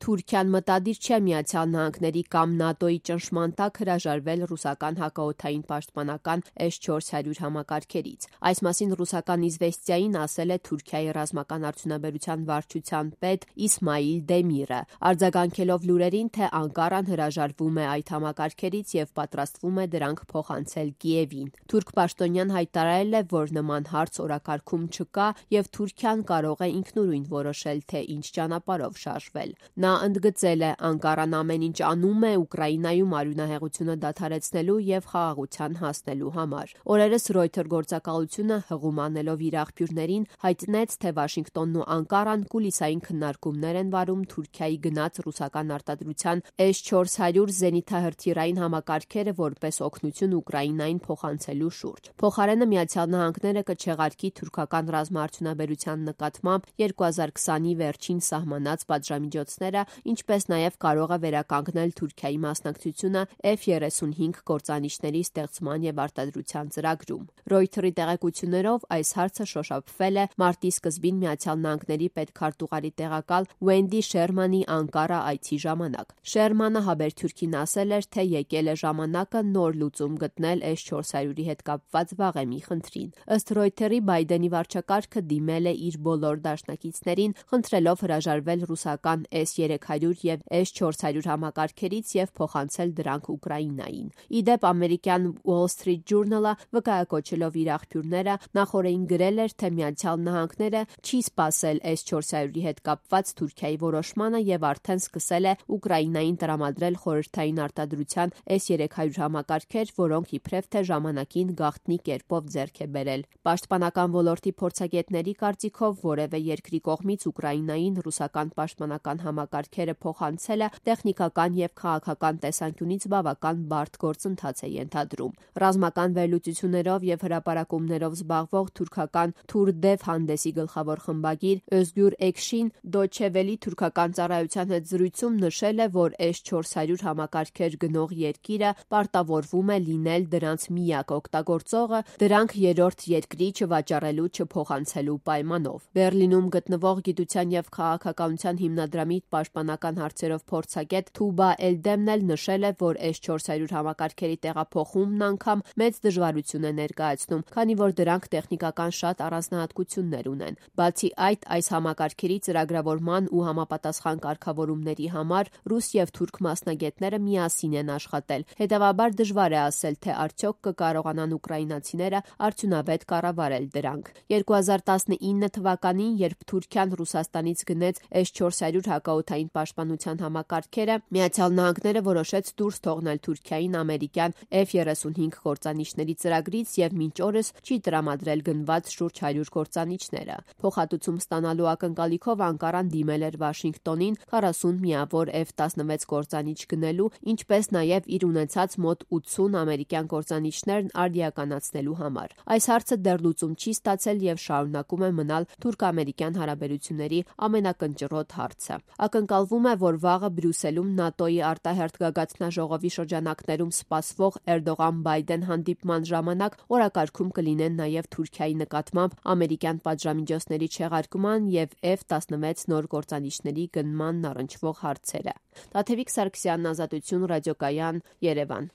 Թուրքիան մտադիր չէ Միացյալ Նահանգների կամ ՆԱՏՕ-ի ճնշման տակ հրաժարվել ռուսական հակաօդային պաշտպանական S-400 համակարգերից։ Այս մասին ռուսական «Իզվեստիային» ասել է Թուրքիայի ռազմական արդյունաբերության վարչության պետ Իսմայիլ Դեմիրը, արձագանքելով լուրերին, թե Անկարան հրաժարվում է այդ համակարգերից եւ պատրաստվում է դրանք փոխանցել Կիևին։ Թուրք պաշտոնյան հայտարարել է, որ նման հարց օրակարգում չկա եւ Թուրքիան կարող է ինքնուրույն որոշել, թե ինչ ճանապարհով շարժվել։ Նա ընդգծել է. Անկարան ամեն ինչ անում է Ուկրաինայում արյունահեղությունը դադարեցնելու եւ խաղաղության հասնելու համար։ Օրերս Reuters գործակալությունը հղում անելով իր աղբյուրներին հայտնեց, թե Վաշինգտոնն ու Անկարան կուլիսային քննարկումներ են վարում Թուրքիայի գնած ռուսական արտադրության S-400 զենիթահրթիռային համակարգերը որպես օգնություն Ուկրաինային փոխանցելու շուրջ։ Փոխարենը Միացյալ Նահանգները կչեղարկի թուրքական ռազմաարդյունաբերության նկատմամբ 2020-ի վերջին սահմանած պատժամիջոցները, ինչպես նաև կարող է վերականգնել Թուրքիայի մասնակցությունը F-35 կործանիչների ստեղծման եւ արտադրության ծրագրում։ Reuters-ի տեղեկություններով այս հարցը շոշափվել է մարտի սկզբին Միացյալ Նահանգների պետքարտուղարի տեղակալ Ուենդի Շերմանի Անկարա այցի ժամանակ։ Շերմանը հաբերթյուրքին ասել էր, թե եկել է ժամանակը նոր լուծում գտնել S-400-ի հետ կապված վաղեմի խնդրին։ Ըստ Reuters-ի Բայդենի վարչակարգը դիմել է իր բոլոր դաշնակիցներին, խնդրելով հրաժարվել ռուսական S-300 եւ S-400 համակարգերից եւ փոխանցել դրանք Ուկրաինային։ Ի դեպ, ամերիկյան Wall Street Journal-ը վկայակոչելով իր աղբյուրները նախորդին գրել էր, թե Միացյալ Նահանգները չի սպասել S-400-ի հետ կապված Թուրքիայի որոշմանը եւ արդեն սկսել է Ուկրաինային տրամադրել խորհրդային արտադրության S-300 համակարգեր, որոնք իբրև թե ժամանակին գաղտնի կերպով ձեռք է բերել։ Պաշտպանական ոլորտի փորձագետների կարծիքով որևէ երկրի կողմից Ուկրաինային ռուսական պաշտպանական համակարգերը փոխանցելը տեխնիկական եւ քաղաքական տեսանկյունից բավական բարդ գործընթաց է ենթադրում։ Ռազմական վերլուծություններով եւ հրապարակումներով զբաղվող թուրքական Թուրդև հանդեսի գլխավոր խմբագիր Özgür Ekşin Deutsche Welle թուրքական ծառայության հետ զրույցում նշել է, որ S-400 համակարգեր գնող երկիրը պարտավորվում է լինել դրանց միակ օգտագործողը, դրանք երրորդ երկրի չվաճառելու, չփոխանցելու պայմանով։ Բերլինում գտնվող գիտության եւ քաղաքականության հիմնադրամի պաշտպանական հարցերով փորձագետ Թուբա Էլդեմն էլ նշել է, որ S-400 համակարգերի տեղափոխումն անգամ մեծ դժվարություն է ներկայացնում, քանի որ դրանք տեխնիկական շատ առանձնահատկություններ ունեն։ Բացի այդ, այս համակարգերի ծրագրավորման ու համապատասխան կարգավորումների համար ռուս եւ թուրք մասնագետները միասին են աշխատել։ Հետևաբար դժվար է ասել, թե արդյոք կկարողանան ուկրաինացիները արդյունավետ կառավարել դրանք։ 2019 թվականին, երբ Թուրքիան Ռուսաստանից գնեց S-400 հակաօդային պաշտպանության համակարգերը, Միացյալ Նահանգները որոշեց դուրս թողնել Թուրքիային ամերիկյան F-35 կործանիչների ծրագրից եւ մինչ օրս չի տրամադրել գնված շուրջ 100 կործանիչները։ Փոխհատուցում ստանալու ակնկալիքով Անկարան դիմել էր Վաշինգտոնին 40 միավոր F-16 կործանիչ գնելու, ինչպես նաեւ իր ունեցած մոտ 80 ամերիկյան կործանիչներն արդիականացնելու համար։ Այս հարցը դեռ լուծում չի ստացել եւ շարունակում է մնալ թուրք-ամերիկյան հարաբերությունների ամենակնճռոտ հարցը։ Ակնկալվում է, որ վաղը Բրյուսելում ՆԱՏՕ-ի արտահերթ գագաթնաժողովի շրջանակներում սպասվող Էրդողան-Բայդեն հանդիպման ժամանակ օրակարգում կլինեն նաեւ Թուրքիայի նկատմամբ ամերիկյան պատժամիջոցների չեղարկման եւ F-16 նոր կործանիչների գնմանն առնչվող հարցերը։ Տաթևիկ Սարգսյանն, Ազատություն, Ռադիոկայան, Երևան։